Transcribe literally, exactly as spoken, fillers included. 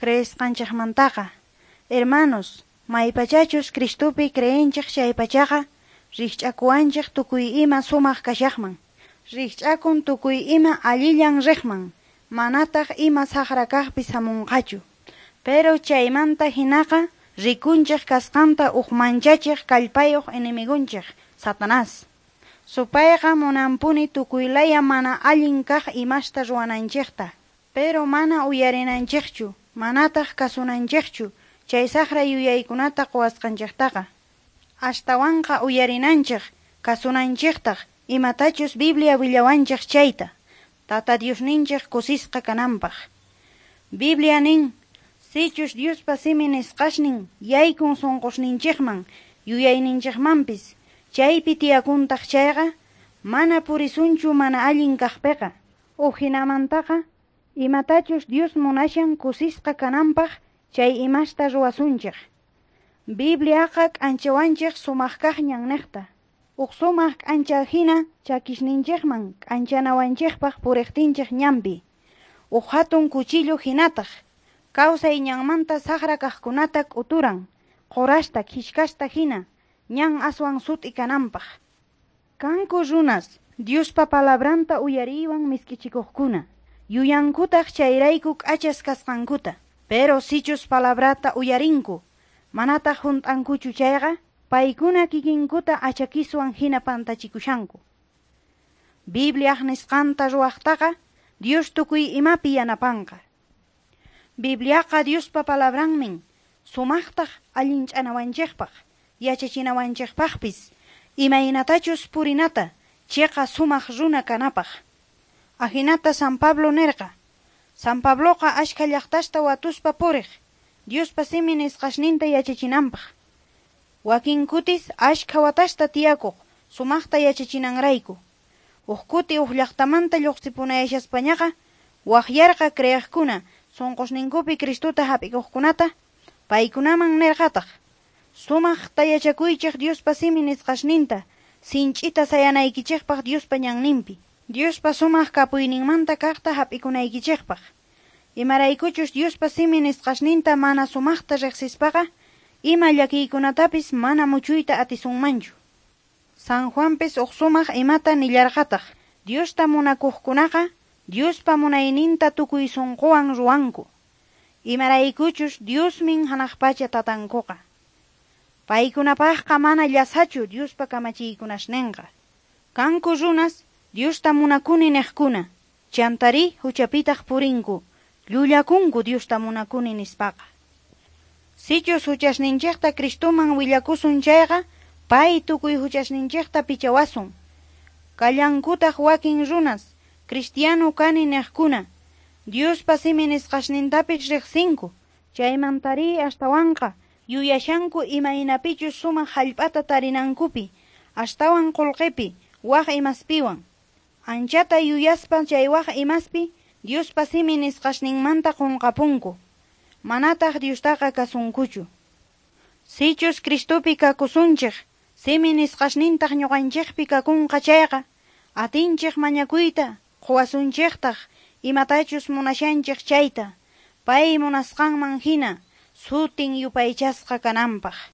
Creesqanchejmantaqa. Hermanos, maypachachus Cristopi creenchej chaypachaqa, rijch'akuwanchej tukuy ima sumaq kashaqman. Rijch'akun tukuy ima allillan riqman, manataq ima saqra kaqpis hamunqachu. Pero chaymanta hinaqa rikunchej kasqanta uj manchachej kallpayuq enemigonchej, Satanás. Supayqa munanpuni tukuy laya mana allin kaq imasta ruwananchejta. Pero mana uyarinanchejchu, manataq kasunanchejchu chay saqra yuyaykunata quwasqanchejtaqa. Astawanqa uyarinanchej, kasunanchejtaq imatachus Biblia willawanchej chayta, Tata Diosninchej kusisqa kananpaq. Biblia nin, sichus Diospa simi nisqasnin yaykun sunqusninchikman, yuyayninchikmanpis, chaypi tiyakuntaq chayqa, mana purisunchu mana allin kaqpiqa. Ujinamantaqa, imatachus Dios munashan kusisqa kananpaq chay imasta ruwasunchik. Bibliaqa k'anchawanchik sumaq kaq ñanniqta. Uj sumaq k'ancha hina chakisninchikman k'anchanawanchikpaq puriqtinchik ñanpi. Uj hatun cuchillo hinataq, kawsay ñanmanta saqra kaqkunata k'uturan, qurasta khishkasta hina, ñan aswan sut'i kananpaq. Kanku runas, Diospa palabranta uyariywan misk'ichikuqkuna, yuyankutaq chayrayku k'achas kasqankuta, pero sichus palabrata uyarinku, manataq hunt'ankuchu chayqa, paykuna kikinkuta achakiswan hina pantachikushanku. Bibliaq nisqanta ruwaqtaqa, Dios tukuy imapi yanapanqa. Bibliaqa Diospa palabranmin, sumaqtaq allinch'anawanchikpaq, yachachinawanchikpaqpis, imaynatachus purinata, chiqa sumaq runa kanapaq. Ajinata San Pablo nirqa. San Pabloqa ashkha llaqtasta watuspa puriq, Diospa simi nisqasninta yachachinanpaq. Wakin kutis ashkha watasta tiyakuq, sumaqta yachachinanrayku. Uj kuti uj llaqtamanta lluqsipunayashaspañaqa, waqyarqa creeqkuna sunqusninkupi Cristuta hap'ikuqkunata, paykunaman nirqataq, sumaqta yachakuychik Diospa simi nisqasninta, sinch'ita sayanaykichikpaq Diospa ñanninpi. Diospa sumaq kapuyninmanta kaqta hap'ikunaykichikpaq. Imaraykuchus Diospa simi nisqasninta mana sumaqta riqsispaqa, ima llakiykunatapis mana muchuyta atisunmanchu. San Juanpis uj sumaq imata nillarqataq, Diosta munakuqkunaqa, Diospa munayninta tukuy sunquwan ruwanku. Imaraykuchus Diosmin hanaq pacha tatankuqa. Paykunapaqqa mana llasachu Diospa kamachiykunasninqa. Kanku runas Diosta munakuni niqkuna, chantari huchapitaq purinku, llullakunku Diosta munakuni nispaqa. Sichus huchasninchikta Cristoman willakusun chayqa, pay tukuy huchasninchikta pichawasun. Kallankutaq wakin runas, cristiano kani niqkuna, Diospa simi nisqasnintapis riqsinku, chaymantari astawanqa yuyashanku imaynapichus sumaq hallp'ata tarinankupi, astawan qullqipi, waq imaspiwan. Anchata yuyaspa chay waq imaspi, Diospa simi nisqasninmanta qunqapunku. Manataq Diostaqa kasunkuchu. Sichus Cristopi kakusunchik, simi nisqasnintaq ñuqanchikpi kakunqa chayqa, atinchik mañakuyta, quwasunchiktaq imatachus munashanchik chayta, pay munasqanman hina, sutin yupaychasqa kananpaq.